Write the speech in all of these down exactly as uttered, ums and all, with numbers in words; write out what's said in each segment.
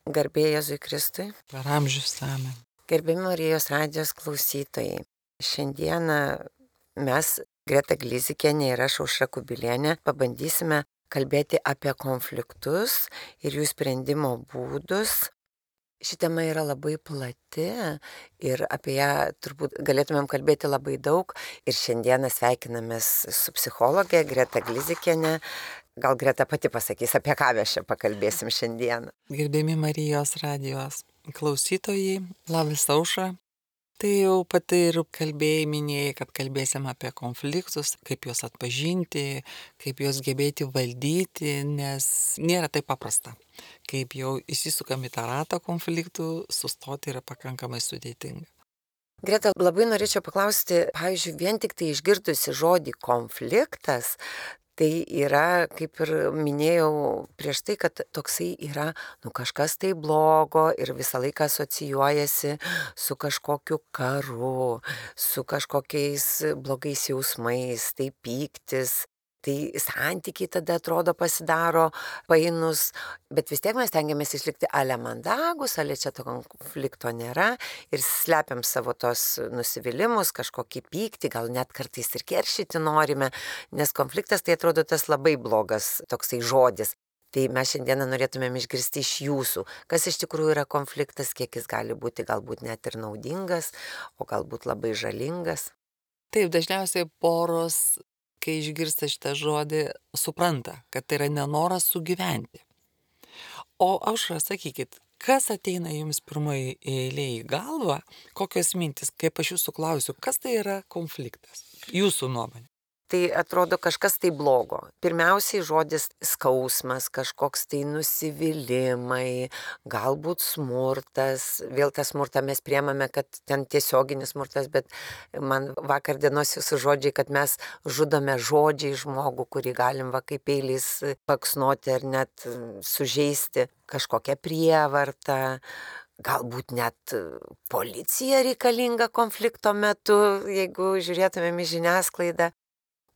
Garbė Jėzui Kristui. Per amžius amen. Gerbiami Marijos radijos klausytojai. Šiandieną mes, Greta Glizikienė ir aš, Aušra Kubilienė, pabandysime kalbėti apie konfliktus ir jų sprendimo būdus. Ši tema yra labai plati ir apie ją turbūt galėtumėm kalbėti labai daug. Ir šiandieną sveikinamės su psichologė Greta Glizikienė. Gal Greta pati pasakys, apie ką mes čia pakalbėsim šiandieną. Gerbiami Marijos radijos klausytojai, labas Aušra. Tai jau pati ir kalbėjai, minėjai, kad kalbėsim apie konfliktus, kaip juos atpažinti, kaip juos gebėti valdyti, nes nėra taip paprasta. Kaip jau įsisukam į tą ratą konfliktų, sustoti yra pakankamai sudėtinga. Greta, labai norėčiau paklausti, pavyzdžiui, vien tik tai išgirdusi žodį konfliktas, tai yra, kaip ir minėjau prieš tai, kad toksai yra nu, kažkas tai blogo ir visą laiką asocijuojasi su kažkokiu karu, su kažkokiais blogais jausmais, tai pyktis. Tai santykiai tada atrodo pasidaro painus, bet vis tiek mes tengiamės išlikti ale mandagus, ale čia to konflikto nėra ir slepiam savo tos nusivylimus, kažkokį pyktį, gal net kartais ir keršyti norime, nes konfliktas tai atrodo tas labai blogas toksai žodis. Tai mes šiandieną norėtumėm išgirsti iš jūsų, kas iš tikrųjų yra konfliktas, kiek jis gali būti galbūt net ir naudingas, o galbūt labai žalingas. Taip, dažniausiai poros, kai išgirsta šitą žodį, supranta, kad tai yra nenoras sugyventi. O aš sakykit, kas ateina jums pirmoji eilė į galvą, kokios mintis, kaip aš jūsų klausiu, kas tai yra konfliktas, jūsų nuomonė? Tai atrodo kažkas tai blogo. Pirmiausiai žodis skausmas, kažkoks tai nusivylimai, galbūt smurtas. Vėl tą smurtą mes priemame, kad ten tiesioginis smurtas, bet man vakar dienos jūsų žodžiai, kad mes žudome žodžiai žmogų, kurį galim va kaip peiliais paksnoti ar net sužeisti, kažkokią prievartą. Galbūt net policija reikalinga konflikto metu, jeigu žiūrėtumėm į žiniasklaidą.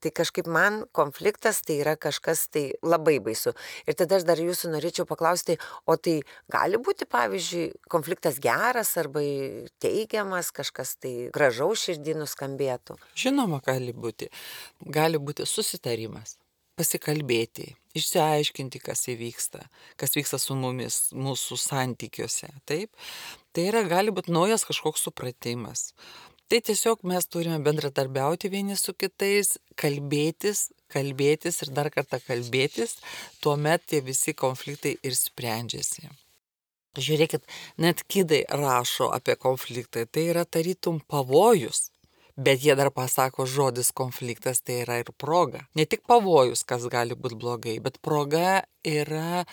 Tai kažkaip man konfliktas tai yra kažkas tai labai baisu. Ir tada aš dar jūsų norėčiau paklausti, o tai gali būti, pavyzdžiui, konfliktas geras arba teigiamas, kažkas tai gražaus širdį nuskambėtų? Žinoma, gali būti. Gali būti susitarimas, pasikalbėti, išsiaiškinti, kas įvyksta, kas vyksta su mumis, mūsų santykiuose. Taip? Tai yra, gali būti naujas kažkoks supratimas. Tai tiesiog mes turime bendradarbiauti vieni su kitais, kalbėtis, kalbėtis ir dar kartą kalbėtis, tuomet tie visi konfliktai ir sprendžiasi. Žiūrėkit, net kidai rašo apie konfliktą, tai yra tarytum pavojus, bet jie dar pasako žodis konfliktas, tai yra ir proga. Ne tik pavojus, kas gali būti blogai, bet proga yra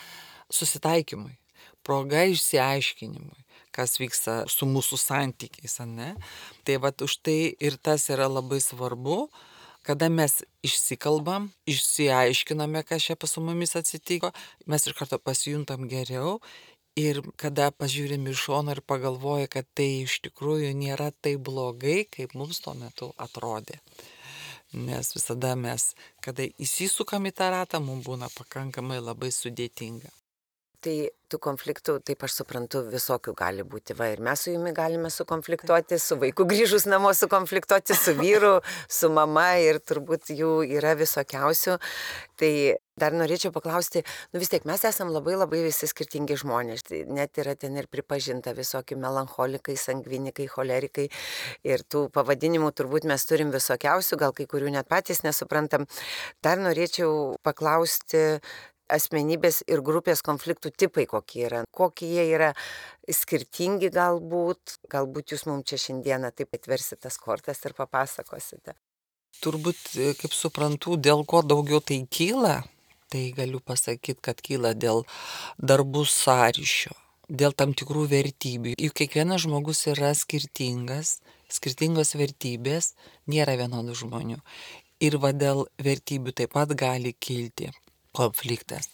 susitaikymui, proga išsiaiškinimui, kas vyksta su mūsų santykiais, ne? Tai vat už tai ir tas yra labai svarbu, kada mes išsikalbam, išsiaiškiname, kas čia su mumis atsitiko, mes iš karto pasijuntam geriau ir kada pažiūrim iš šono ir pagalvoja, kad tai iš tikrųjų nėra taip blogai, kaip mums tuo metu atrodė. Nes visada mes, kada įsisukam į tą ratą, mums būna pakankamai labai sudėtinga. Tai tų konfliktų, taip aš suprantu, visokių gali būti. Va, ir mes su jumi galime sukonfliktuoti, su vaiku grįžus namo sukonfliktuoti, su vyru, su mama ir turbūt jų yra visokiausių. Tai dar norėčiau paklausti, nu vis tiek mes esam labai labai visi skirtingi žmonės. Tai net yra ten ir pripažinta visokie melancholikai, sangvinikai, cholerikai. Ir tų pavadinimų turbūt mes turim visokiausių, gal kai kurių net patys nesuprantam. Dar norėčiau paklausti, asmenybės ir grupės konfliktų tipai kokie yra, kokie jie yra skirtingi galbūt, galbūt jūs mums čia šiandieną taip atversite tas kortas ir papasakosite. Turbūt, kaip suprantu, dėl ko daugiau tai kyla, tai galiu pasakyti, kad kyla dėl darbų sąryšio, dėl tam tikrų vertybių. Juk kiekvienas žmogus yra skirtingas, skirtingos vertybės, nėra vienodų žmonių. Ir va dėl vertybių taip pat gali kilti konfliktas.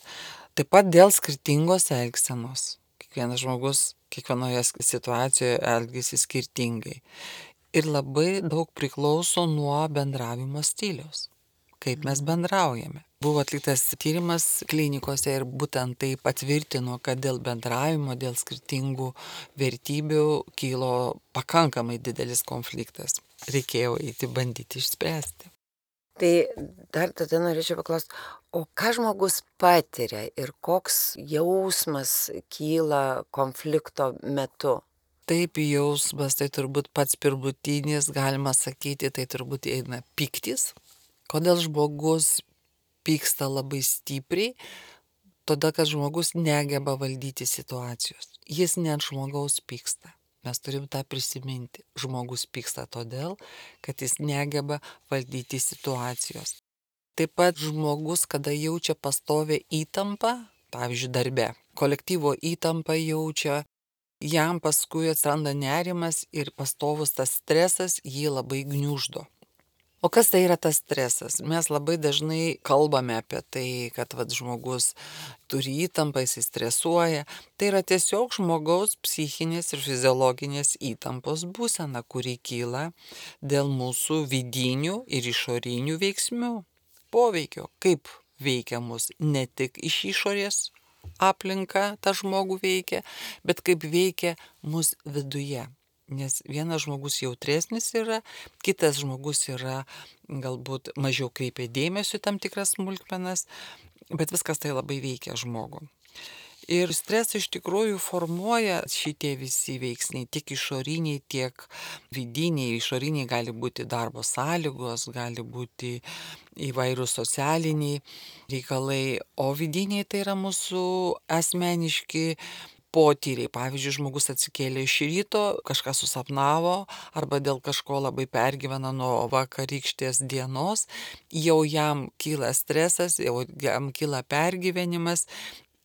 Taip pat dėl skirtingos elgsenos. Kiekvienas žmogus kiekvienoje situacijoje elgiasi skirtingai. Ir labai daug priklauso nuo bendravimo stiliaus. kaip mes bendraujame. Buvo atliktas tyrimas klinikose ir būtent tai patvirtino, kad dėl bendravimo, dėl skirtingų vertybių kilo pakankamai didelis konfliktas. Reikėjo eiti bandyti išspręsti. Tai dar tada norėčiau paklausti, o ką žmogus patiria ir koks jausmas kyla konflikto metu? Taip, jausmas, tai turbūt pats pirmutinis, galima sakyti, tai turbūt eina pyktis. Kodėl žmogus pyksta labai stipriai? Todėl, kad žmogus negeba valdyti situacijos. Jis ne ant žmogaus pyksta. Mes turim tą prisiminti. Žmogus pyksta todėl, kad jis negeba valdyti situacijos. Taip pat žmogus, kada jaučia pastovę įtampą, pavyzdžiui, darbe, kolektyvo įtampą jaučia, jam paskui atsiranda nerimas ir pastovus tas stresas jį labai gniuždo. O kas tai yra tas stresas? Mes labai dažnai kalbame apie tai, kad vat, žmogus turi įtampą, jis stresuoja. Tai yra tiesiog žmogaus psichinės ir fiziologinės įtampos būsena, kuri kyla dėl mūsų vidinių ir išorinių veiksmų poveikio. Kaip veikia mus ne tik iš išorės aplinka tą žmogų veikia, bet kaip veikia mus viduje. Nes vienas žmogus jautresnis yra, kitas žmogus yra galbūt mažiau kreipia dėmesio į tam tikras smulkmenas, bet viskas tai labai veikia žmogų. Ir stresą iš tikrųjų formuoja šitie visi veiksniai, tiek išoriniai, tiek vidiniai. Išoriniai gali būti darbo sąlygos, gali būti įvairūs socialiniai reikalai, o vidiniai tai yra mūsų asmeniški potyriai. Pavyzdžiui, žmogus atsikėlė iš ryto, kažką susapnavo arba dėl kažko labai pergyvena nuo vakarykštės dienos, jau jam kyla stresas, jau jam kyla pergyvenimas.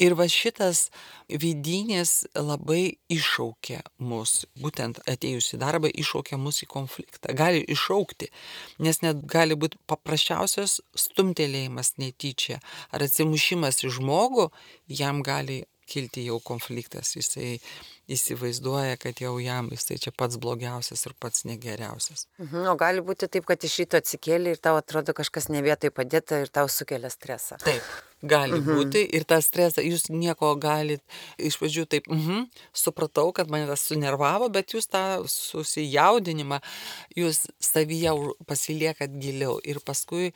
Ir va šitas vidinis labai iššaukia mus, būtent atėjus į darbą iššaukia mus į konfliktą. Gali iššaukti, nes net gali būti paprasčiausias stumtelėjimas netyčia ar atsimušimas į žmogų, jam gali kilti jau konfliktas, jisai įsivaizduoja, kad jau jam jisai čia pats blogiausias ir pats negeriausias. Mhm, o gali būti taip, kad iš ryto atsikėlė ir tau atrodo kažkas ne vietoj padėta ir tau sukelia stresą. Taip, gali mhm. būti ir tą stresą, jūs nieko galit, iš pradžių taip, mhm, supratau, kad mane tas sunervavo, bet jūs tą susijaudinimą, jūs savyje pasiliekat giliau ir paskui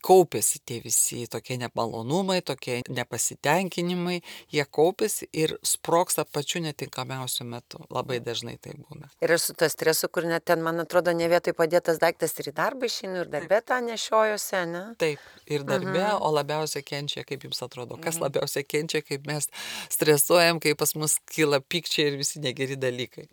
kaupėsi tie visi tokie nemalonumai, tokie nepasitenkinimai, jie kaupėsi ir sprogsta pačiu netinkamiausiu metu. Labai dažnai tai būna. Ir aš su to stresu, kur net ten, man atrodo, ne vietoj padėtas daiktas ir į darbą išeinu, ir darbe tą nešiojuosi, ne? Taip, ir darbe, mhm. o labiausiai kenčia, kaip jums atrodo, kas mhm. labiausiai kenčia, kaip mes stresuojam, kai pas mus kyla pykčiai ir visi negeri dalykai.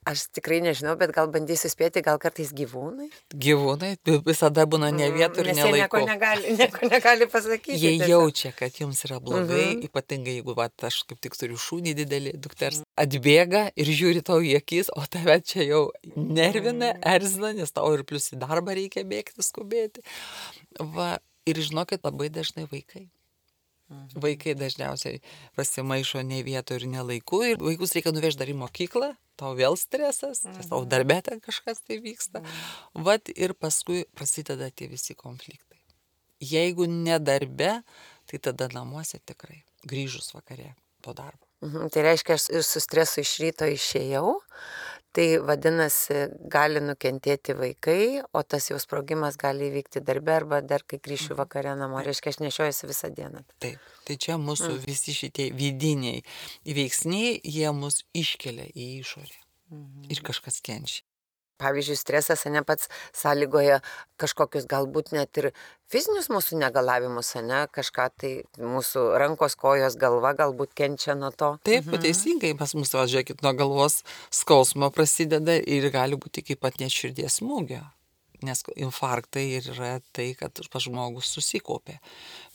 Aš tikrai nežinau, bet gal bandysiu spėti, gal kartais gyvūnai? Gyvūnai visada būna ne vietų ir ne laiku. Nes jie nieko negali, nieko negali pasakyti. Jie tiesiog jaučia, kad jums yra blogai, mhm. ypatingai jeigu va, aš kaip tik turiu šunį didelį, dukters atbėga ir žiūri tau į akis, o tave čia jau nervina, erzina, nes tau ir plius į darbą reikia bėgti, skubėti. Va, ir žinokit, labai dažnai vaikai. Mhm. Vaikai dažniausiai pasimaišo ne vietoje ir ne laiku ir vaikus reikia nuvežti dar į mokyklą, tau vėl stresas, mhm. tau darbė ten kažkas tai vyksta. Mhm. Vat ir paskui prasideda tie visi konfliktai. Jeigu ne darbe, tai tada namuose tikrai, grįžus vakare po darbo. Mhm. Tai reiškia, aš ir su stresu iš ryto išėjau, tai vadinasi, gali nukentėti vaikai, o tas jau sprogimas gali įvykti darbe arba dar kai grįšiu vakare namo. Reiškia, aš nešiojuosi visą dieną. Taip, tai čia mūsų mm. visi šitie vidiniai veiksniai, jie mus iškelia į išorę mm. ir kažkas kenčia. Pavyzdžiui, stresas ne pats sąlygoja kažkokius galbūt net ir fizinius mūsų negalavimus, ne, kažką tai mūsų rankos, kojos, galva galbūt kenčia nuo to. Taip, mhm. teisingai, pas mus, važiuokit, nuo galvos skausmo prasideda ir gali būti kaip pat net širdies smūgio. Nes infarktai yra tai, kad pas žmogus susikaupė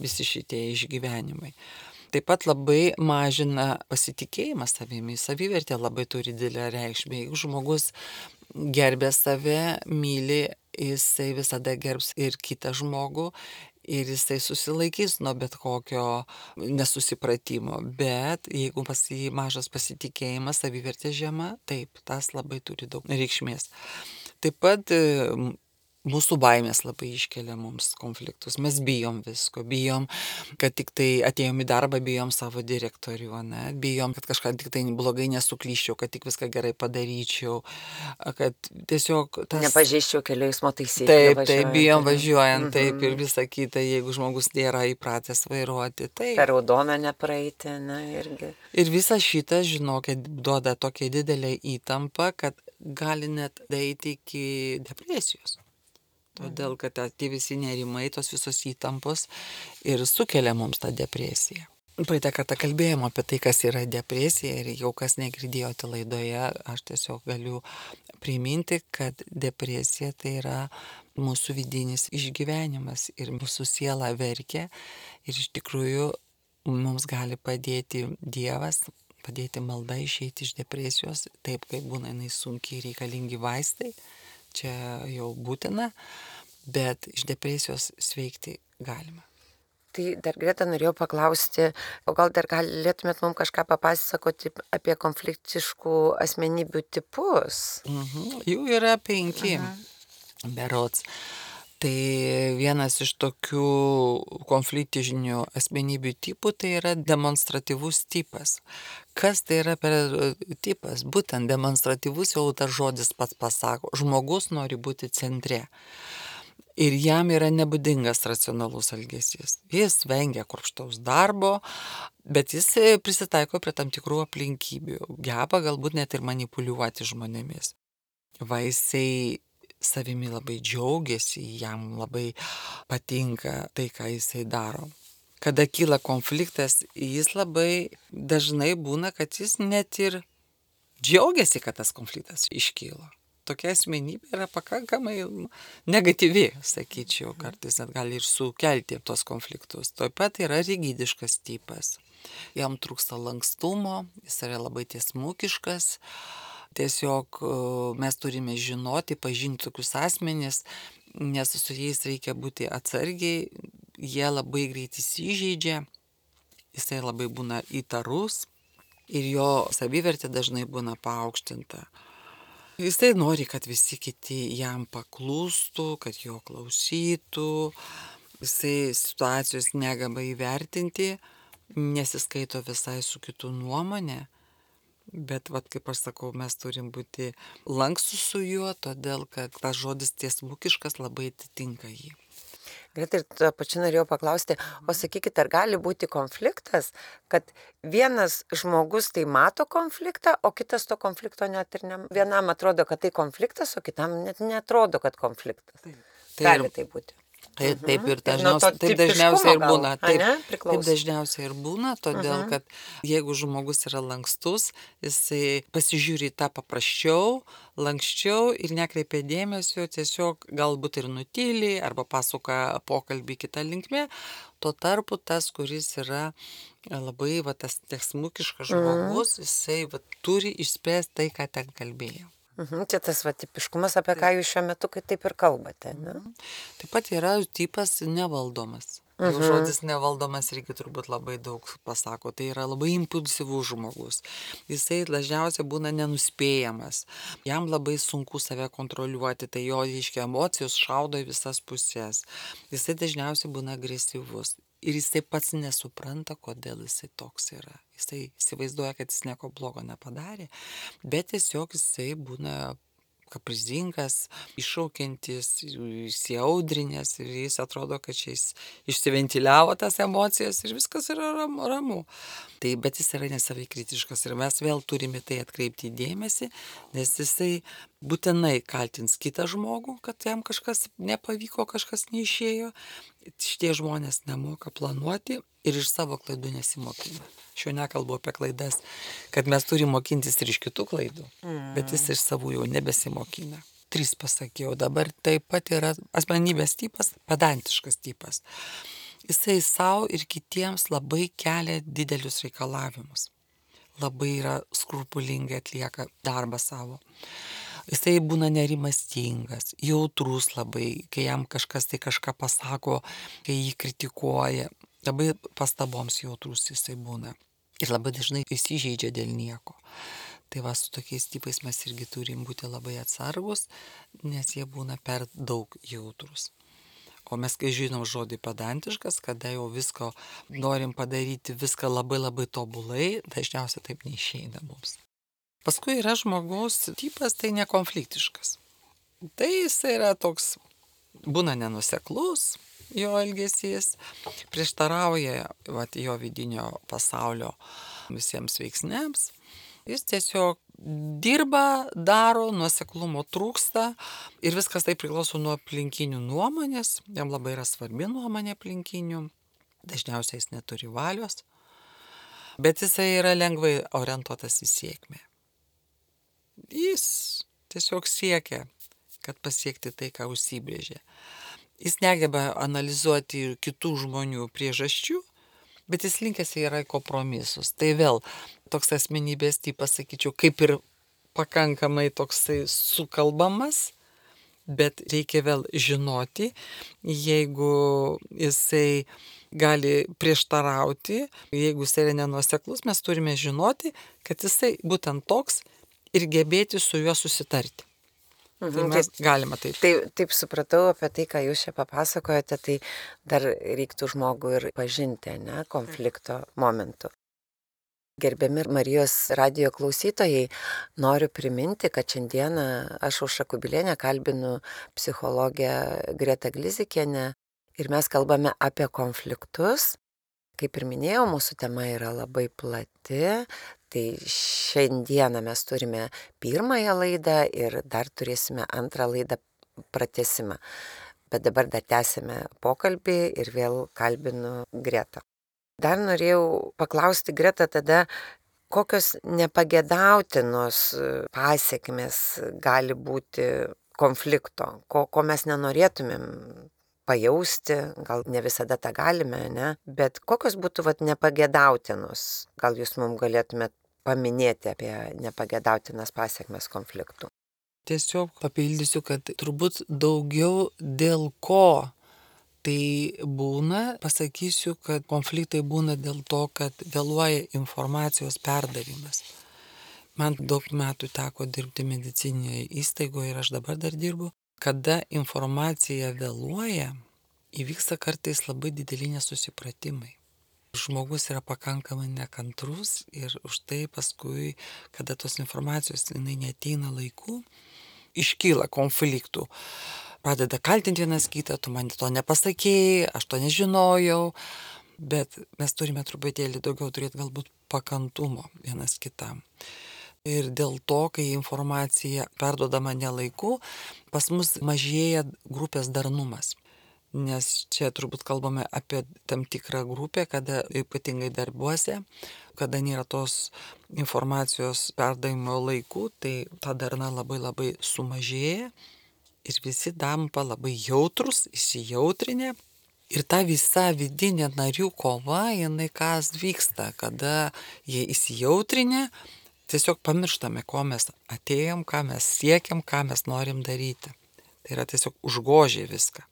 visi šitie išgyvenimai. Taip pat labai mažina pasitikėjimą savimi, savivertė labai turi didelę reikšmę. Jeigu žmogus gerbė save, myli, jisai visada gerbs ir kitą žmogų ir jisai susilaikys nuo bet kokio nesusipratimo. Bet jeigu pas jį mažas pasitikėjimas, savivertė žema, taip, tas labai turi daug reikšmės. Taip pat Mūsų baimės labai iškelia mums konfliktus. Mes bijom visko, bijom, kad tik tai atėjom į darbą, bijom savo direktorių, ne? Bijom, kad kažką tik tai blogai nesuklyščiau, kad tik viską gerai padaryčiau, kad tiesiog tas... Nepažeisčiau kelių eismo taisyklių. Taip, taip, bijom važiuojant, taip ir visa kita, jeigu žmogus nėra įpratęs vairuoti. Taip. Per raudoną nepraeiti, na irgi. Ir visa šita, žinokit, duoda tokią didelę įtampą, kad gali net daeiti iki depresijos. Todėl, kad tie visi nerimai, tos visos įtampos ir sukelia mums tą depresiją. Praeitą kartą kalbėjom apie tai, kas yra depresija ir jau kas negirdėjote laidoje, aš tiesiog galiu priminti, kad depresija tai yra mūsų vidinis išgyvenimas ir mūsų siela verkia ir iš tikrųjų mums gali padėti Dievas, padėti malda išeiti iš depresijos, taip kaip būna jinai sunkiai reikalingi vaistai. Čia jau būtina, bet iš depresijos sveikti galima. Tai dar Greta norėjau paklausti, o gal dar galėtumėt mums kažką papasakoti apie konfliktiškų asmenybių tipus? Mhm. Jų yra penki, Aha. berods. Tai vienas iš tokių konfliktinių asmenybių tipų tai yra demonstratyvus tipas. Kas tai yra per tipas? Būtent demonstratyvus jau tas žodis pats pasako. Žmogus nori būti centre. Ir jam yra nebūdingas racionalus elgesys. Jis vengia kruopštaus darbo, bet jis prisitaiko prie tam tikrų aplinkybių. Geba galbūt net ir manipuliuoti žmonėmis. Va jisai savimi labai džiaugiasi, jam labai patinka tai, ką jisai daro. Kada kyla konfliktas, jis labai dažnai būna, kad jis net ir džiaugiasi, kad tas konfliktas iškylo. Tokia asmenybė yra pakankamai negatyvi, sakyčiau, kartais net gali ir sukelti tos konfliktus. Taip pat yra rigidiškas tipas. Jam trūksta lankstumo, jis yra labai tiesmukiškas. Tiesiog mes turime žinoti, pažinti tokius asmenis, nes su jais reikia būti atsargiai, jie labai greit įsižeidžia, jisai labai būna įtarus ir jo savivertė dažnai būna paaukštinta. Jisai nori, kad visi kiti jam paklūstų, kad jo klausytų, jisai situacijos negeba įvertinti, nesiskaito visai su kitų nuomonė. Bet, vat, kaip aš sakau, mes turim būti lankstus su juo, todėl, kad tas žodis tiesmukiškas labai atitinka jį. Greta, ir tuo pačiu norėjau paklausti, o sakykit, ar gali būti konfliktas, kad vienas žmogus tai mato konfliktą, o kitas to konflikto net ir ne... Vienam atrodo, kad tai konfliktas, o kitam net neatrodo, kad konfliktas. Taip. Gali tai būti. Taip, taip ir dažniausiai, taip dažniausiai ir būna. Taip, taip dažniausiai ir būna, todėl uh-huh. kad jeigu žmogus yra lankstus, jisai pasižiūri tą paprasčiau, lankščiau ir nekreipia dėmesio, tiesiog galbūt ir nutyli arba pasuka pokalbį kitą linkmę. Tuo tarpu tas, kuris yra labai va, tas tiesmukiškas žmogus, uh-huh. jisai va, turi išspręsti tai, ką ten kalbėjo. Mhm, čia tas va, tipiškumas, apie ką jūs šiuo metu taip ir kalbate. Ne? Taip pat yra tipas nevaldomas. Mhm. Jau žodis nevaldomas irgi turbūt labai daug pasako. Tai yra labai impulsyvus žmogus. Jisai dažniausiai būna nenuspėjamas. Jam labai sunku save kontroliuoti, tai jo, reiškia, emocijos šaudo į visas pusės. Jisai dažniausiai būna agresyvus. Ir jisai pats nesupranta, kodėl jisai toks yra. Jisai įsivaizduoja, kad jis nieko blogo nepadarė, bet tiesiog jisai būna kaprizingas, iššaukiantis, įsiaudrinęs ir jis atrodo, kad čia jis išsiventiliavo tas emocijas ir viskas yra ramu. Tai, bet jis yra nesavai kritiškas ir mes vėl turime tai atkreipti dėmesį, nes jisai būtinai kaltins kitą žmogų, kad jam kažkas nepavyko, kažkas neišėjo. Šitie žmonės nemoka planuoti ir iš savo klaidų nesimokina. Šiuo nekalbu apie klaidas, kad mes turime mokintis ir iš kitų klaidų, mm. bet jis iš savų jau nebesimokina. Tris pasakiau, dabar taip pat yra asmenybės tipas, pedantiškas tipas. Jisai savo ir kitiems labai kelia didelius reikalavimus. Labai yra skrupulingai atlieka darbą savo. Jisai būna nerimastingas, jautrus labai, kai jam kažkas tai kažką pasako, kai jį kritikuoja. Labai pastaboms jautrus jisai būna. Ir labai dažnai įsižeidžia dėl nieko. Tai va, su tokiais tipais mes irgi turim būti labai atsargus, nes jie būna per daug jautrus. O mes, kai žinom žodį pedantiškas, kada jau visko norim padaryti, viską labai labai tobulai, dažniausiai taip neišeina mums. Paskui yra žmogaus tipas, tai nekonfliktiškas. Tai jis yra toks, būna nenuseklus jo elgesys, prieštarauja vat, jo vidinio pasaulio visiems veiksniams. Jis tiesiog dirba, daro, nuoseklumo trūksta ir viskas tai priklauso nuo aplinkinių nuomonės. Jam labai yra svarbi nuomonė aplinkinių. Dažniausiai jis neturi valios, bet jisai yra lengvai orientuotas į sėkmę. Jis tiesiog siekia, kad pasiekti tai, ką užsibrėžė. Jis negeba analizuoti kitų žmonių priežasčių, bet jis linkęs yra į kompromisus. Tai vėl toks asmenybės tipas, sakyčiau, kaip ir pakankamai toksai sukalbamas, bet reikia vėl žinoti, jeigu jisai gali prieštarauti, jeigu jisai yra nenuoseklus, mes turime žinoti, kad jisai būtent toks ir gebėti su juo susitarti. Tai mes galime taip. Taip, taip supratau apie tai, ką jūs čia papasakojate, tai dar reiktų žmogų ir pažinti, ne, konflikto momentu. Gerbiami Marijos radijo klausytojai, noriu priminti, kad šiandieną aš Aušra Kubilienė kalbinu psichologę Gretą Glizikienę ir mes kalbame apie konfliktus. Kaip ir minėjau, mūsų tema yra labai plati, tai šiandieną mes turime pirmąją laidą ir dar turėsime antrą laidą pratęsimą. Bet dabar dar tęsime pokalbį ir vėl kalbinu Gretą. Dar norėjau paklausti Gretą tada, kokios nepageidautinos pasekmės gali būti konflikto, ko, ko mes nenorėtumėm pajausti, gal ne visada tą galime, ne? Bet kokios būtų vat, nepageidautinos, gal jūs mums galėtumėt paminėti apie nepageidautinas pasekmes konfliktų? Tiesiog papildysiu, kad turbūt daugiau dėl ko tai būna, pasakysiu, kad konfliktai būna dėl to, kad vėluoja informacijos perdavimas. Man daug metų teko dirbti medicininėje įstaigoje ir aš dabar dar dirbu. Kada informacija vėluoja, įvyksta kartais labai dideli nesusipratimai. Žmogus yra pakankamai nekantrus ir už tai paskui, kada tos informacijos jinai neateina laiku, iškyla konfliktų. Pradeda kaltinti vienas kitą, tu man to nepasakėjai, aš to nežinojau, bet mes turime truputėlį daugiau turėti galbūt pakantumo vienas kitam. Ir dėl to, kai informacija perduodama nelaiku, pas mus mažėja grupės darnumas. Nes čia turbūt kalbame apie tam tikrą grupę, kada ypatingai darbuose, kada nėra tos informacijos perdavimo laikų, tai ta darna labai labai sumažėja ir visi tampa labai jautrus, įsijautrinę. Ir ta visa vidinė narių kova, jinai kas vyksta, kada jie įsijautrinę, tiesiog pamirštame, ko mes atėjom, ką mes siekiam, ką mes norim daryti. Tai yra tiesiog užgožė viską.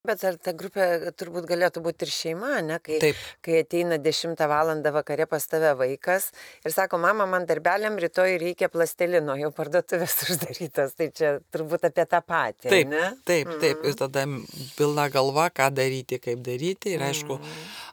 Bet ar ta grupė turbūt galėtų būti ir šeima, ne? Kai, Taip. kai ateina dešimtą valandą vakare pas tave vaikas ir sako, mama, man darbeliam rytoj reikia plastelino, jau parduotuvės uždarytas, tai čia turbūt apie tą patį, taip, ne? Taip, taip, ir tada pilna galva, ką daryti, kaip daryti ir aišku,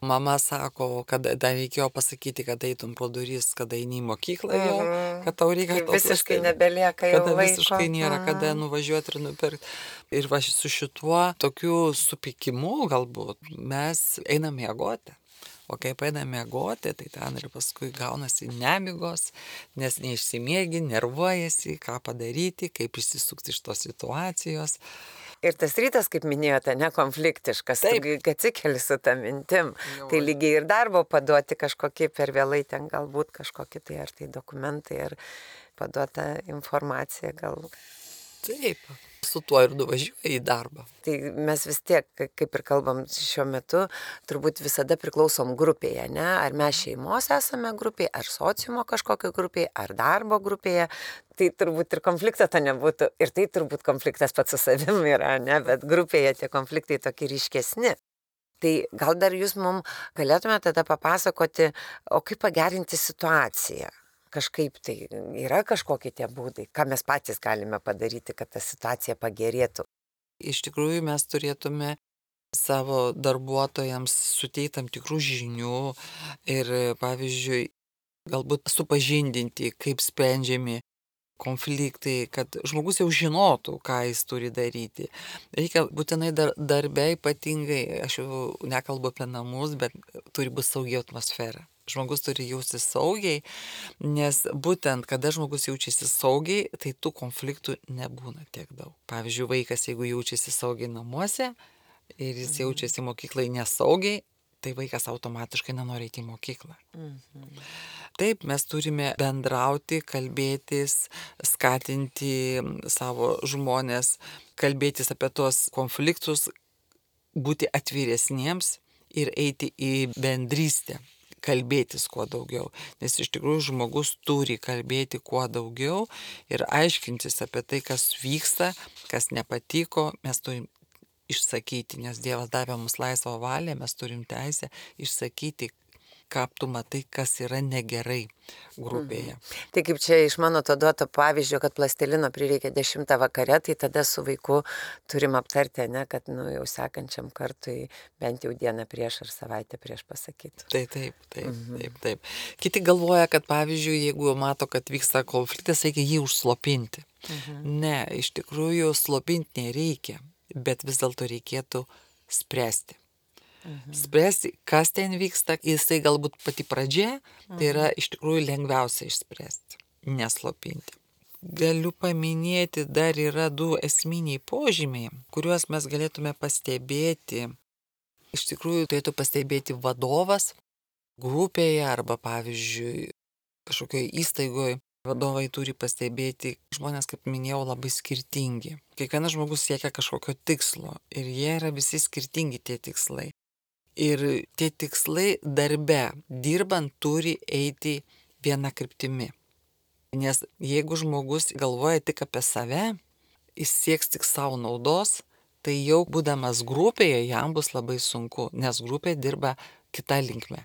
mama sako, kad dar reikėjo pasakyti, kad eitum pro duris, kada eini į mokyklą jau, kad tau reikia to visiškai nebelieka jau kada laiko. Visiškai nėra, kada nuvažiuoti ir nupirkti. Ir va su šituo tokiu supikimu galbūt mes einam miegoti. O kai einam miegoti, tai ten ir paskui gaunasi nemigos, nes neišsimiegi, nervuojasi, ką padaryti, kaip išsisukti iš tos situacijos. Ir tas rytas, kaip minėjote, nekonfliktiškas, kai atsikeli su tą mintim, jau. Tai lygiai ir darbo paduoti kažkokį per vėlai, ten galbūt kažkokį tai ar tai dokumentai, ar paduota informacija gal. Taip, su tuo ir nuvažiuoji į darbą. Tai mes vis tiek, kaip ir kalbam šiuo metu, turbūt visada priklausom grupėje, ne? Ar mes šeimos esame grupėje, ar sociumo kažkokio grupėje, ar darbo grupėje. Tai turbūt ir konflikto to nebūtų. Ir tai turbūt konfliktas pats su savimi yra, ne? Bet grupėje tie konfliktai tokie ryškesni. Tai gal dar jūs mums galėtume tada papasakoti, o kaip pagerinti situaciją? kažkaip tai yra kažkokie tie būdai, ką mes patys galime padaryti, kad ta situacija pagerėtų. Iš tikrųjų mes turėtume savo darbuotojams suteikti tam tikrų žinių ir, pavyzdžiui, galbūt supažindinti, kaip sprendžiami konfliktai, kad žmogus jau žinotų, ką jis turi daryti. Reikia būtinai dar, darbe ypatingai, aš jau nekalbu apie namus, bet turi būti saugi atmosfera. Žmogus turi jaustis saugiai, nes būtent, kada žmogus jaučiasi saugiai, tai tų konfliktų nebūna tiek daug. Pavyzdžiui, vaikas, jeigu jaučiasi saugiai namuose ir jis mhm. jaučiasi mokyklai nesaugiai, tai vaikas automatiškai nenori eiti į mokyklą. Mhm. Taip, mes turime bendrauti, kalbėtis, skatinti savo žmonės, kalbėtis apie tos konfliktus, būti atviresniems ir eiti į bendrystę, kalbėtis kuo daugiau. Nes iš tikrųjų žmogus turi kalbėti kuo daugiau ir aiškintis apie tai, kas vyksta, kas nepatiko, mes turim išsakyti, nes Dievas davė mums laisvą valią, mes turim teisę išsakyti, ką tu matai, kas yra negerai grupėje. Mhm. Tai kaip čia iš mano to duoto pavyzdžio, kad plastilino prireikia dešimtą vakare, tai tada su vaiku turim aptarti, ne, kad nu, jau sekančiam kartui bent jau dieną prieš ar savaitę prieš pasakytų. Tai taip, taip, mhm. taip, taip. Kiti galvoja, kad pavyzdžiui, jeigu mato, kad vyksta konfliktas, reikia jį užslopinti. Mhm. Ne, iš tikrųjų slopinti nereikia, bet vis dėlto reikėtų spręsti. Mhm. Spręsti, kas ten vyksta, jisai galbūt pati pradžia, mhm. tai yra iš tikrųjų lengviausia išspręsti, neslopinti. Galiu paminėti, dar yra du esminiai požymiai, kuriuos mes galėtume pastebėti. Iš tikrųjų turėtų pastebėti vadovas grupėje arba, pavyzdžiui, kažkokioje įstaigoje. Vadovai turi pastebėti, žmonės, kaip minėjau, labai skirtingi. Kiekvienas žmogus siekia kažkokio tikslo ir jie yra visi skirtingi tie tikslai. Ir tie tikslai darbe, dirbant, turi eiti viena kryptimi. Nes jeigu žmogus galvoja tik apie save, jis sieks tik savo naudos, tai jau būdamas grupėje jam bus labai sunku, nes grupė dirba kita linkme.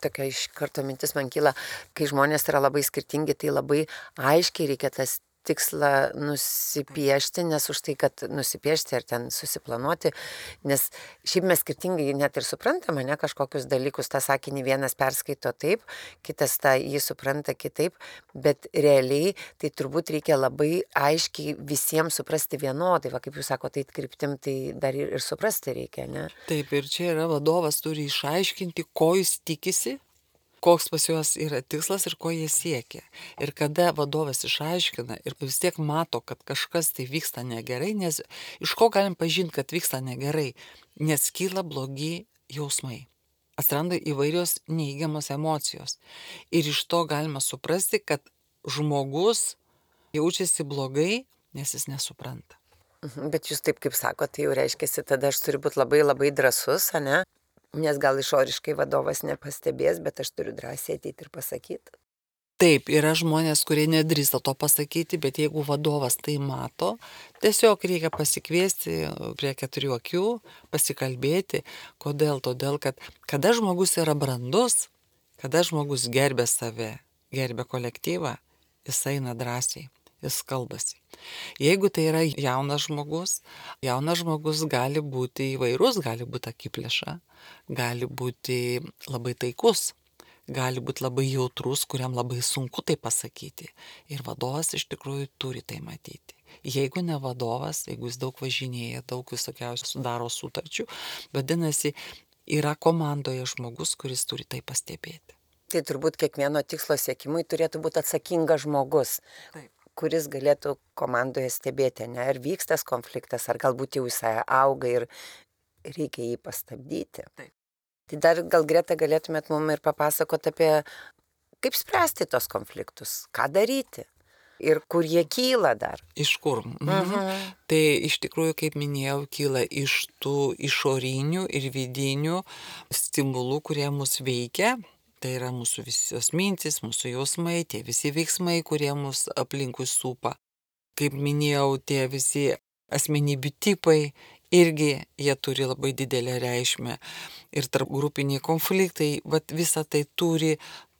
Tokia iš karto mintis man kyla, kai žmonės yra labai skirtingi, tai labai aiškiai reikia tas tikslą nusipiešti, nes už tai, kad nusipiešti ar ten susiplanuoti, nes šiaip mes skirtingai net ir suprantame, ne, kažkokius dalykus, tą sakinį vienas perskaito taip, kitas tą jį supranta kitaip, bet realiai tai turbūt reikia labai aiškiai visiems suprasti vienodai, va kaip jūs sakote, tai kryptim, tai dar ir, ir suprasti reikia, ne? Taip, ir čia yra vadovas turi išaiškinti, ko jis tikisi, koks pas juos yra tikslas ir ko jie siekia. Ir kada vadovas išaiškina ir vis tiek mato, kad kažkas tai vyksta negerai, nes iš ko galim pažinti, kad vyksta negerai, nes kyla blogi jausmai. Atsiranda įvairios neįgiamos emocijos. Ir iš to galima suprasti, kad žmogus jaučiasi blogai, nes jis nesupranta. Bet jūs taip kaip sakote, tai jau reiškia, tada aš turiu būti labai labai drąsus, ne? Nes gal išoriškai vadovas nepastebės, bet aš turiu drąsiai ateiti ir pasakyti. Taip, yra žmonės, kurie nedrįsta to pasakyti, bet jeigu vadovas tai mato, tiesiog reikia pasikviesti prie keturių akių, pasikalbėti. Kodėl? Todėl, kad kada žmogus yra brandus, kada žmogus gerbė save, gerbė kolektyvą, jis eina drąsiai. Jis kalbasi. Jeigu tai yra jaunas žmogus, jaunas žmogus gali būti įvairus, gali būti akiplėša, gali būti labai taikus, gali būti labai jautrus, kuriam labai sunku tai pasakyti. Ir vadovas iš tikrųjų turi tai matyti. Jeigu ne vadovas, jeigu jis daug važinėja, daug visokiausių sudaro sutarčių, vadinasi, yra komandoje žmogus, kuris turi tai pastebėti. Tai turbūt kiekvieno tikslo siekimui turėtų būti atsakingas žmogus. Taip. Kuris galėtų komandoje stebėti, ne, ar vyks tas konfliktas, ar galbūt jau jisai auga ir reikia jį pastabdyti. Taip. Tai dar gal Greta galėtumėt mums ir papasakoti apie, kaip spręsti tos konfliktus, ką daryti ir kur jie kyla dar. Iš kur? Mhm. Tai iš tikrųjų, kaip minėjau, kyla iš tų išorinių ir vidinių stimulų, kurie mus veikia. Tai yra mūsų visos mintis, mūsų jausmai, tie visi veiksmai, kurie mus aplinkui supa. Kaip minėjau, tie visi asmenybių tipai, irgi jie turi labai didelę reikšmę. Ir tarp grupiniai konfliktai, vat visa tai turi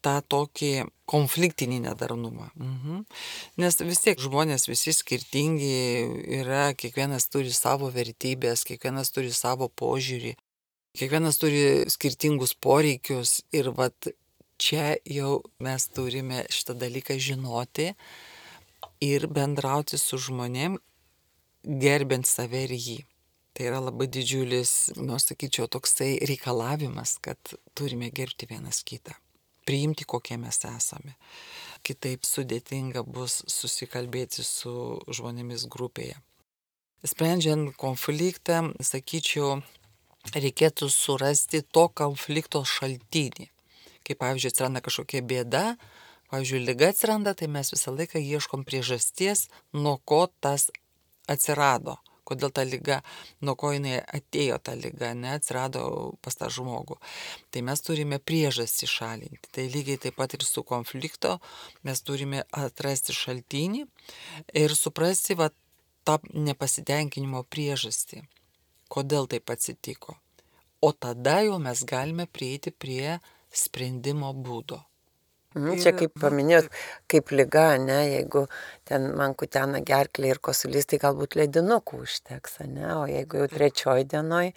tą tokį konfliktinį nedarnumą. Mhm. Nes vis tiek žmonės visi skirtingi yra, kiekvienas turi savo vertybės, kiekvienas turi savo požiūrį, kiekvienas turi skirtingus poreikius ir vat čia jau mes turime šitą dalyką žinoti ir bendrauti su žmonėm, gerbent save ir jį. Tai yra labai didžiulis, nu, aš sakyčiau, toksai reikalavimas, kad turime gerbti vienas kitą, priimti kokie mes esame. Kitaip sudėtinga bus susikalbėti su žmonėmis grupėje. Sprendžiant konfliktą, sakyčiau, reikėtų surasti to konflikto šaltinį. Kai, pavyzdžiui, atsiranda kažkokia bėda, pavyzdžiui, liga atsiranda, tai mes visą laiką ieškom priežasties, nuo ko tas atsirado. Kodėl ta liga, nuo ko jinai atėjo ta liga, ne, atsirado pas tą žmogų. Tai mes turime priežastį šalinti. Tai lygiai taip pat ir su konflikto mes turime atrasti šaltinį ir suprasti va, tą nepasitenkinimo priežastį. Kodėl taip atsitiko. O tada jau mes galime prieiti prie sprendimo būdo. Mhm, čia kaip paminėjot, kaip liga, ne, jeigu ten man kutena gerklė ir kosulys, tai galbūt ledinukų užteks, ne, o jeigu jau trečioj dienoj,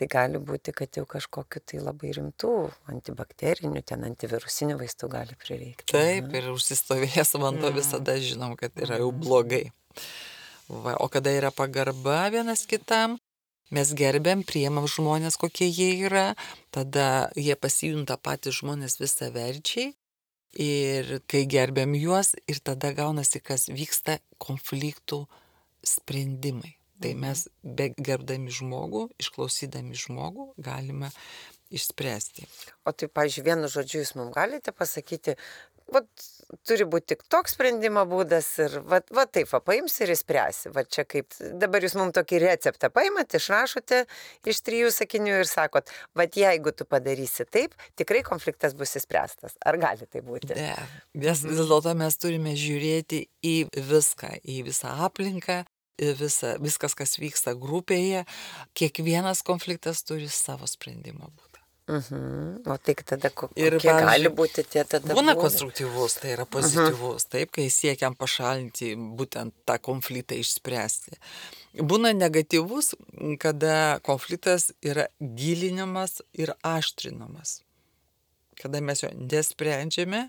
tai gali būti, kad jau kažkokiu tai labai rimtų antibakterinių, ten antivirusinių vaistų gali prireikti. Taip, ir užsistovėjęs vanduo mm. visada žinom, kad yra jau blogai. Va, o kada yra pagarba vienas kitam, mes gerbiam, priemam žmonės, kokie jie yra, tada jie pasijunta patys žmonės visaverčiai. Ir kai gerbiam juos, ir tada gaunasi, kas vyksta konfliktų sprendimai. Tai mes be gerbdami žmogų, išklausydami žmogų, galime išspręsti. O tai, pavyzdžiui, vienu žodžiu jūs mums galite pasakyti, vat, turi būti tik toks sprendimo būdas ir va, va taip, va, paims ir įspręsi. Va čia kaip, dabar jūs mums tokį receptą paimat, išrašote iš trijų sakinių ir sakot, va jeigu tu padarysi taip, tikrai konfliktas bus įspręstas. Ar gali tai būti? Ne, vis, vis dėlto mes turime žiūrėti į viską, į visą aplinką, į visą, viskas, kas vyksta grupėje. Kiekvienas konfliktas turi savo sprendimo būdą. Mhm. O tai tada kokie ir, gali būti tie tada? Būna konstruktyvus, tai yra pozityvus, taip, kai siekiam pašalinti būtent tą konfliktą išspręsti. Būna negatyvus, kada konfliktas yra gilinimas ir aštrinamas. Kada mes jo nesprendžiame,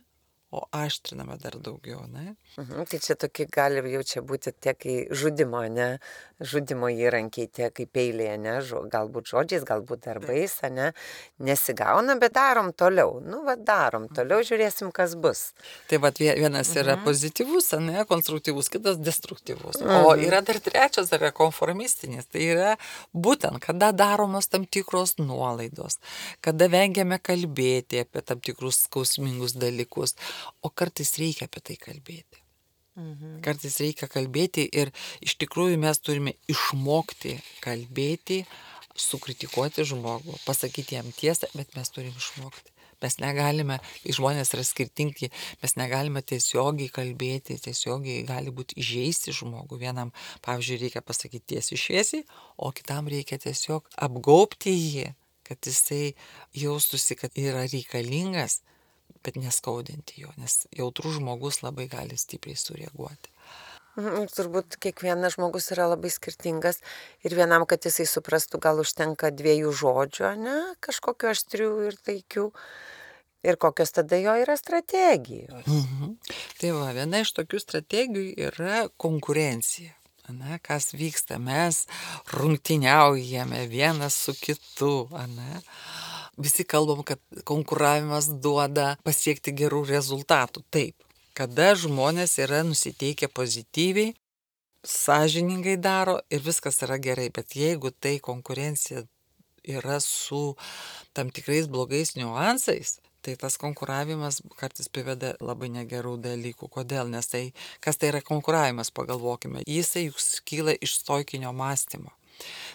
o aštriname dar daugiau, ne? Mhm, tai čia tokie gali jau čia būti tie, kai žudimo, ne? Žudimo įrankiai, tie kaip peiliai, ne? Žo, galbūt žodžiais, galbūt darbais, ne? Nesigauna, bet darom toliau. Nu, va, darom toliau, žiūrėsim, kas bus. Tai va, vienas yra mhm. pozityvus, ne? Konstruktyvus, kitas destruktyvus. Mhm. O yra dar trečias, dar yra konformistinis. Tai yra būtent, kada daromos tam tikros nuolaidos, kada vengiame kalbėti apie tam tikrus skausmingus dalykus. O kartais reikia apie tai kalbėti. Mhm. Kartais reikia kalbėti ir iš tikrųjų mes turime išmokti kalbėti, sukritikuoti žmogų, pasakyti jam tiesą, bet mes turime išmokti. Mes negalime, žmonės yra skirtingi, mes negalime tiesiogiai kalbėti, tiesiogiai gali būti įžeisti žmogų. Vienam, pavyzdžiui, reikia pasakyti tiesiai šviesiai, o kitam reikia tiesiog apgaubti jį, kad jisai jaustųsi, kad yra reikalingas, bet neskaudinti jo, nes jautrus žmogus labai gali stipriai sureaguoti. Mhm, turbūt kiekvienas žmogus yra labai skirtingas ir vienam, kad jisai suprastų, gal užtenka dviejų žodžių, ne, kažkokiu aštrių ir taikių. Ir kokios tada jo yra strategijos. Mhm. Tai va, viena iš tokių strategijų yra konkurencija. Ane, kas vyksta, mes rungtyniaujame vienas su kitu, ane. Visi kalbam, kad konkuravimas duoda pasiekti gerų rezultatų. Taip, kada žmonės yra nusiteikę pozityviai, sąžiningai daro ir viskas yra gerai. Bet jeigu tai konkurencija yra su tam tikrais blogais niuansais, tai tas konkuravimas kartais priveda labai negerų dalykų. Kodėl? Nes tai, kas tai yra konkuravimas, pagalvokime. Jisai juk kyla iš stoikinio mąstymo.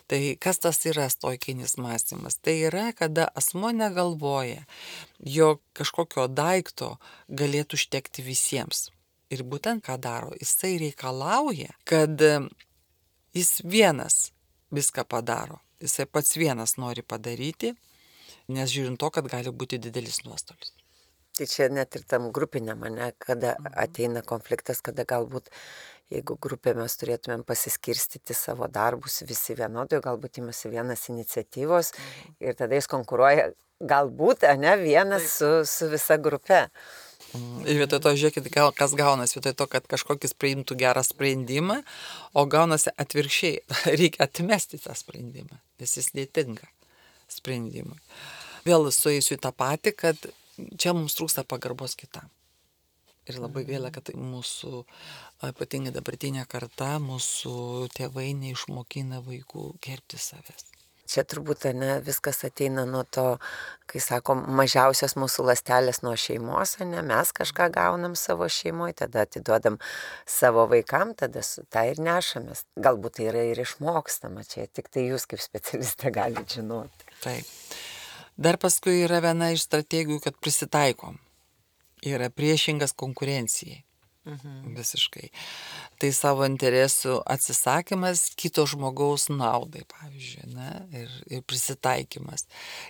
Tai kas tas yra stoikinis mąstymas? Tai yra, kada asmo negalvoja, jog kažkokio daikto galėtų užtekti visiems. Ir būtent ką daro, jisai reikalauja, kad jis vienas viską padaro. Jisai pats vienas nori padaryti, nes žiūrint to, kad gali būti didelis nuostolis. Tai čia net ir tam grupiniam, ne, kada ateina konfliktas, kada galbūt, jeigu grupė mes turėtumėm pasiskirstyti savo darbus visi vienodai, galbūt imasi vienas iniciatyvos ir tada jis konkuruoja galbūt, ne, vienas su, su visa grupe. Ir vietoj to, žiūrėkit, kas gaunasi, vietoj to, kad kažkokis priimtų gerą sprendimą, o gaunasi atvirkščiai, reikia atmesti tą sprendimą, nes jis netinka sprendimui. Vėl sueisiu į tą patį, kad čia mums trūksta pagarbos kitam. Ir labai gaila, kad mūsų, ypatingai dabartinė karta, mūsų tėvai neišmokina vaikų gerbti savęs. Čia turbūt, ne, viskas ateina nuo to, kai sakom, mažiausias mūsų ląstelės nuo šeimos, ne, mes kažką gaunam savo šeimoje, tada atiduodam savo vaikam, tada su tą ir nešamės. Galbūt tai yra ir išmokstama, čia tik tai jūs kaip specialistė galite žinoti. Taip. Dar paskui yra viena iš strategijų, kad prisitaikom. Yra priešingas konkurencijai. Mhm. Visiškai. Tai savo interesų atsisakymas kito žmogaus naudai, pavyzdžiui, ne? ir, ir prisitaikymas.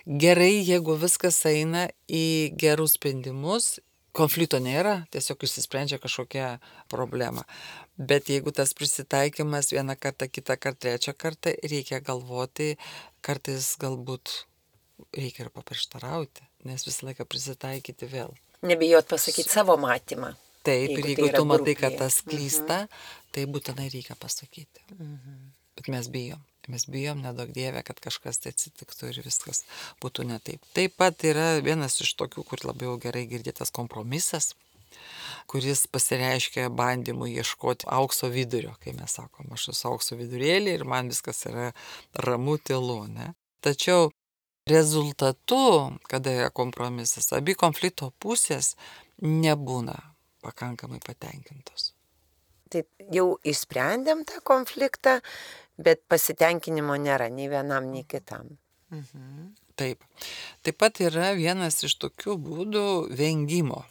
Gerai, jeigu viskas eina į gerus sprendimus, konflikto nėra, tiesiog išsisprendžia kažkokia problema. Bet jeigu tas prisitaikymas vieną kartą, kitą kartą, trečią kartą, reikia galvoti, kartais galbūt reikia ir paprieštarauti, nes visą laiką prisitaikyti vėl. Nebijot pasakyti savo matymą. Taip, ir jeigu tai tu matai, kad tas klysta, mhm. tai būtinai reikia pasakyti. Mhm. Bet mes bijom. Mes bijom, nedaug dievė, kad kažkas tai atsitiktų ir viskas būtų ne taip. Taip pat yra vienas iš tokių, kur labiau gerai girdėtas kompromisas, kuris pasireiškia bandymu ieškoti aukso vidurio, kai mes sakom, aš esu aukso vidurėlį ir man viskas yra ramu, tylu, ne? Tačiau rezultatu, kada yra kompromisas, abi konflikto pusės nebūna pakankamai patenkintos. Tai jau išsprendėm tą konfliktą, bet pasitenkinimo nėra nei vienam, nei kitam. Mhm. Taip. Taip pat yra vienas iš tokių būdų vengimo.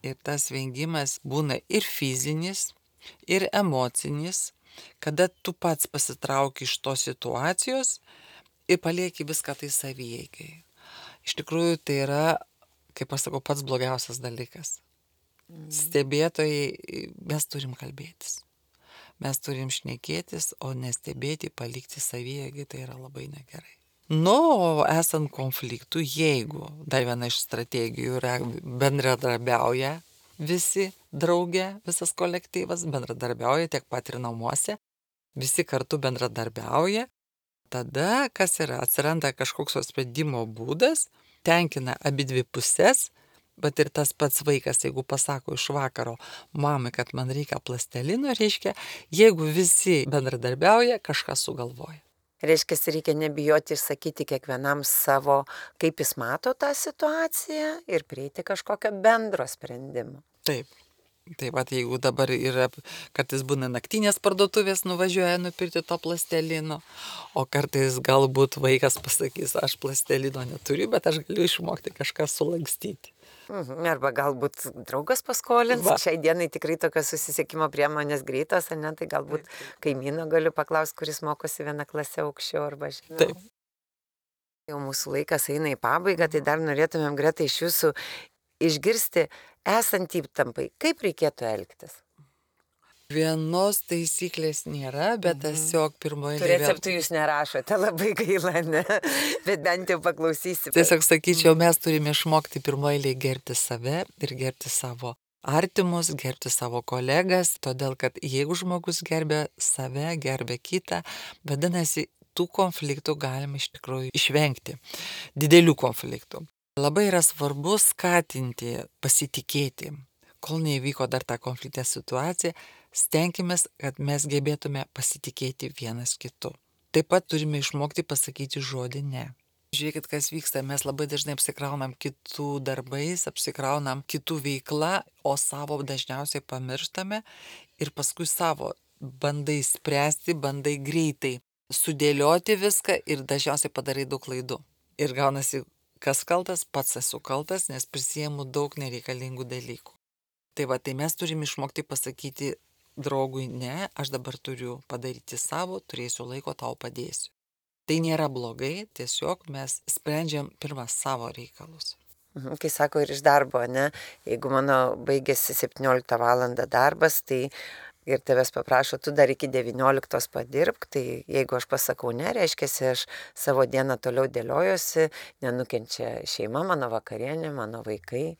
Ir tas vengimas būna ir fizinis, ir emocinis, kada tu pats pasitrauki iš tos situacijos ir palieki viską tai savieigai. Iš tikrųjų, tai yra, kaip aš sakau, pats blogiausias dalykas. Mm. Stebėtojai, mes turim kalbėtis. Mes turim šnekėtis, o nestebėti, palikti savieigai, tai yra labai negerai. Nu, o esant konfliktų, jeigu dar viena iš strategijų yra bendradarbiauja visi drauge, visas kolektyvas bendradarbiauja tiek pat ir namuose, visi kartu bendradarbiauja, tada, kas yra, atsiranda kažkoks sprendimo būdas, tenkina abi dvi pusės, bet ir tas pats vaikas, jeigu pasako iš vakaro mamai, kad man reikia plastelino, reiškia, jeigu visi bendradarbiauja, kažką sugalvoja. Reiškia, reikia nebijoti išsakyti kiekvienam savo, kaip jis mato tą situaciją ir prieiti kažkokio bendro sprendimo. Taip. Taip pat jeigu dabar yra, kartais būna naktinės parduotuvės, nuvažiuoja nupirkti to plastelino, o kartais galbūt vaikas pasakys, aš plastelino neturiu, bet aš galiu išmokti kažką sulankstyti. Mhm. Arba galbūt draugas paskolins. Va. Šiai dienai tikrai tokios susisiekimo priemonės greitos, ne, tai galbūt kaimyno galiu paklausti, kuris mokosi vieną klasę aukščiau arba žinau. Taip. Jau mūsų laikas eina į pabaigą, tai dar norėtumėm, Greta, iš jūsų išgirsti, esant įtampai, kaip reikėtų elgtis? Vienos taisyklės nėra, bet tiesiog pirmoje... Tu receptų jūs nerašote, labai gaila, ne? Bet bent jau paklausysime. Tiesiog sakyčiau, mes turime išmokti pirmoje gerbti save ir gerbti savo artimus, gerbti savo kolegas, todėl kad jeigu žmogus gerbė save, gerbė kitą, vadinasi, tų konfliktų galima iš tikrųjų išvengti, didelių konfliktų. Labai yra svarbu skatinti, pasitikėti, kol neįvyko dar ta konfliktė situacija, stenkimės, kad mes gebėtume pasitikėti vienas kitu. Taip pat turime išmokti pasakyti žodį ne. Žiūrėkit, kas vyksta, mes labai dažnai apsikraunam kitų darbais, apsikraunam kitų veikla, o savo dažniausiai pamirštame ir paskui savo bandai spręsti, bandai greitai sudėlioti viską ir dažniausiai padarai daug klaidų. Ir gaunasi, kas kaltas, pats esu kaltas, nes prisiemu daug nereikalingų dalykų. Tai va, tai mes turime išmokti pasakyti draugui, ne, aš dabar turiu padaryti savo, turėsiu laiko, tau padėsiu. Tai nėra blogai, tiesiog mes sprendžiam pirmą savo reikalus. Mhm, kai sako ir iš darbo, ne, jeigu mano baigėsi septynioliktą valandą darbas, tai ir tavęs paprašo, tu dar iki devynioliktos padirbk, tai jeigu aš pasakau ne, reiškia, aš savo dieną toliau dėliojuosi, nenukenčia šeima, mano vakarienė, mano vaikai.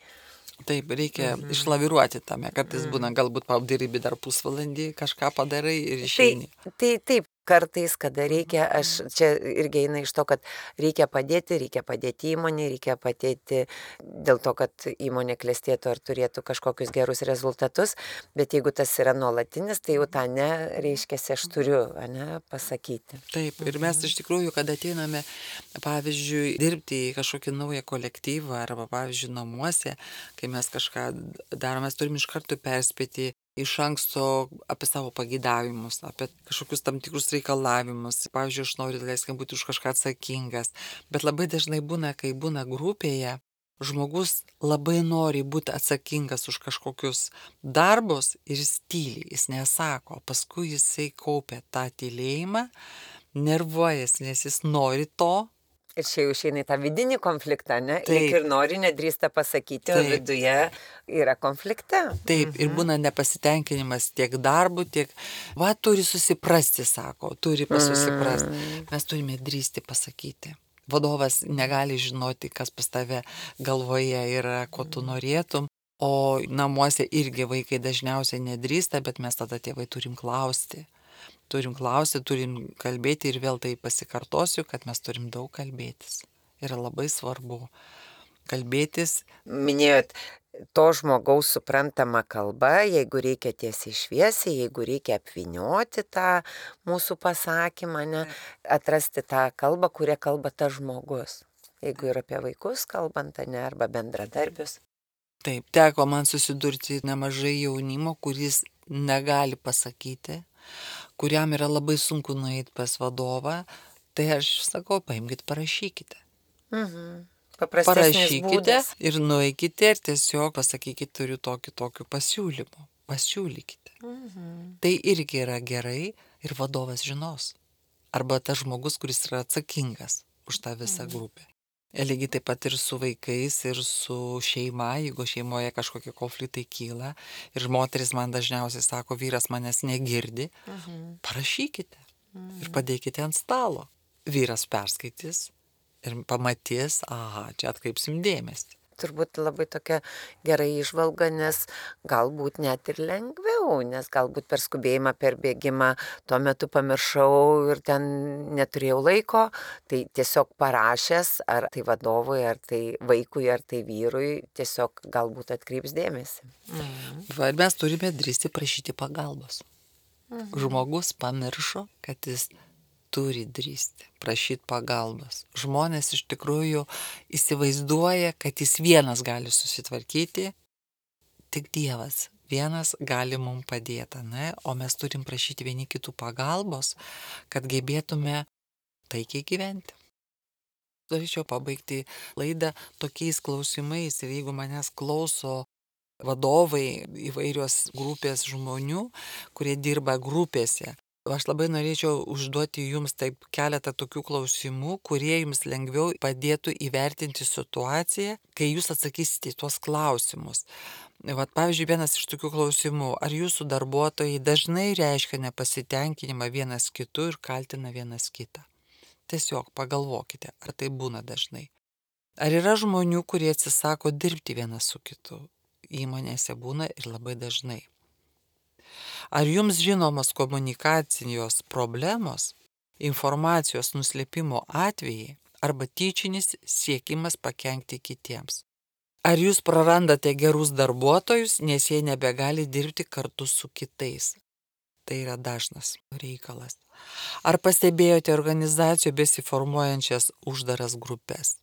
Taip, reikia mhm. išlaviruoti tame, kartais mhm. būna, galbūt padirbi dar pusvalandį, kažką padarai ir išeini. Tai, tai taip, kartais, kada reikia, aš čia irgi eina iš to, kad reikia padėti, reikia padėti įmonė, reikia padėti dėl to, kad įmonė klestėtų ar turėtų kažkokius gerus rezultatus, bet jeigu tas yra nuolatinis, tai jau tą ne, reiškia, aš turiu, ne, pasakyti. Taip, ir mes iš tikrųjų, kad ateiname, pavyzdžiui, dirbti į kažkokį naują kolektyvą arba, pavyzdžiui, namuose, kai mes kažką darome, mes turim iš karto perspėti iš anksto apie savo pageidavimus, apie kažkokius tam tikrus reikalavimus. Pavyzdžiui, aš noriu, leiskim, būti už kažką atsakingas. Bet labai dažnai būna, kai būna grupėje, žmogus labai nori būti atsakingas už kažkokius darbus ir jis tyli, jis nesako. Paskui jisai kaupia tą tylėjimą, nervuojasi, nes jis nori to. Ir čia jau išeina į tą vidinį konfliktą, ne? Taip. Lyg ir nori, nedrįsta pasakyti, o viduje yra konflikte. Taip, mhm. ir būna nepasitenkinimas tiek darbu, tiek, va, turi susiprasti, sako, turi pasusiprasti. Mm. Mes turime drįsti pasakyti. Vadovas negali žinoti, kas pas tave galvoje yra, ko tu norėtum, o namuose irgi vaikai dažniausiai nedrįsta, bet mes tada tėvai turim klausti. Turim klausti, turim kalbėti ir vėl tai pasikartosiu, kad mes turim daug kalbėtis. Yra labai svarbu kalbėtis. Minėjot, to žmogaus suprantama kalba, jeigu reikia tiesiai šviesiai, jeigu reikia apvynioti tą mūsų pasakymą, ne, atrasti tą kalbą, kurią kalba tas žmogus. Jeigu ir apie vaikus kalbant, ne, arba bendradarbius. Taip, teko man susidurti nemažai jaunimo, kuris negali pasakyti, kuriam yra labai sunku nueiti pas vadovą, tai aš sakau, paimkite, parašykite. Mhm. Paprastesnis būdas. Ir nueikite ir tiesiog pasakykite, turiu tokį tokių pasiūlymų. Pasiūlykite. Mhm. Tai irgi yra gerai ir vadovas žinos. Arba tas žmogus, kuris yra atsakingas už tą visą mhm. grupę. Ir lygiai taip pat ir su vaikais, ir su šeima, jeigu šeimoje kažkokie konfliktai kyla. Ir moteris man dažniausiai sako, vyras manęs negirdi, mhm. parašykite mhm. ir padėkite ant stalo. Vyras perskaitys ir pamatys, aha, čia atkreipsim dėmesį. Turbūt labai tokia gera įžvalga, nes galbūt net ir lengviau, nes galbūt per skubėjimą, per bėgimą tuo metu pamiršau ir ten neturėjau laiko, tai tiesiog parašęs, ar tai vadovui, ar tai vaikui, ar tai vyrui, tiesiog galbūt atkreips dėmesį. Mhm. Va, ir mes turime drįsti prašyti pagalbos. Mhm. Žmogus pamiršo, kad jis turi drįsti prašyti pagalbos. Žmonės iš tikrųjų įsivaizduoja, kad jis vienas gali susitvarkyti, tik Dievas vienas gali mums padėti, ne? O mes turim prašyti vieni kitų pagalbos, kad gebėtume taikiai gyventi. Norėčiau pabaigti laidą tokiais klausimais ir jeigu manęs klauso vadovai įvairios grupės žmonių, kurie dirba grupėse, aš labai norėčiau užduoti jums taip keletą tokių klausimų, kurie jums lengviau padėtų įvertinti situaciją, kai jūs atsakysite į tuos klausimus. Vat, pavyzdžiui, vienas iš tokių klausimų, ar jūsų darbuotojai dažnai reiškia nepasitenkinimą vienas kitu ir kaltina vienas kitą? Tiesiog pagalvokite, ar tai būna dažnai. Ar yra žmonių, kurie atsisako dirbti vienas su kitu? Įmonėse būna ir labai dažnai. Ar jums žinomos komunikacijos problemos, informacijos nuslėpimo atvejai arba tyčinis siekimas pakenkti kitiems? Ar jūs prarandate gerus darbuotojus, nes jie nebegali dirbti kartu su kitais? Tai yra dažnas reikalas. Ar pastebėjote organizacijų besiformuojančias uždaras grupės?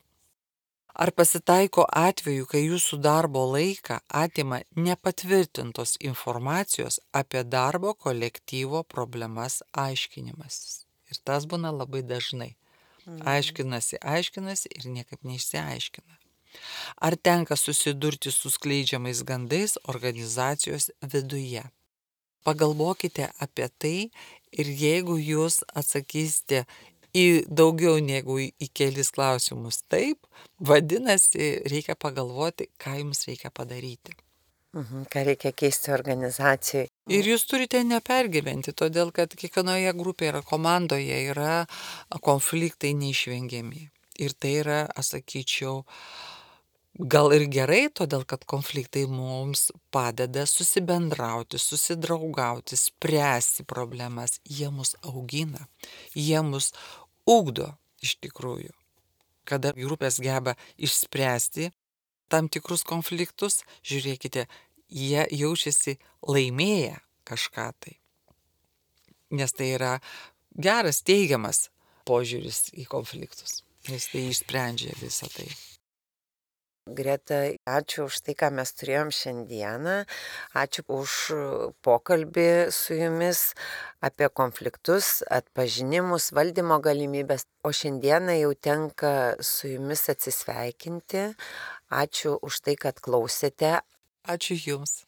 Ar pasitaiko atveju, kai jūsų darbo laiką atima nepatvirtintos informacijos apie darbo kolektyvo problemas aiškinimasis? Ir tas būna labai dažnai. Aiškinasi, aiškinasi ir niekaip neišsiaiškina. Ar tenka susidurti su skleidžiamais gandais organizacijos viduje? Pagalvokite apie tai ir jeigu jūs atsakysite į daugiau negu į, į kelis klausimus taip, vadinasi, reikia pagalvoti, ką jums reikia padaryti. Mhm, ką reikia keisti organizacijai. Ir jūs turite nepergyventi, todėl kad kiekvienoje grupėje yra komandoje yra konfliktai neišvengiami. Ir tai yra, aš sakyčiau, gal ir gerai, todėl kad konfliktai mums padeda susibendrauti, susidraugauti, spręsti problemas. Jie mus augina, jie mus ugdo iš tikrųjų. Kada grupės geba išspręsti tam tikrus konfliktus, žiūrėkite, jie jaučiasi laimėję kažką tai. Nes tai yra geras, teigiamas požiūris į konfliktus. Nes tai išsprendžia visą tai. Greta, ačiū už tai, ką mes turėjom šiandieną. Ačiū už pokalbį su jumis apie konfliktus, atpažinimus, valdymo galimybės. O šiandieną jau tenka su jumis atsisveikinti. Ačiū už tai, kad klausėte. Ačiū jums.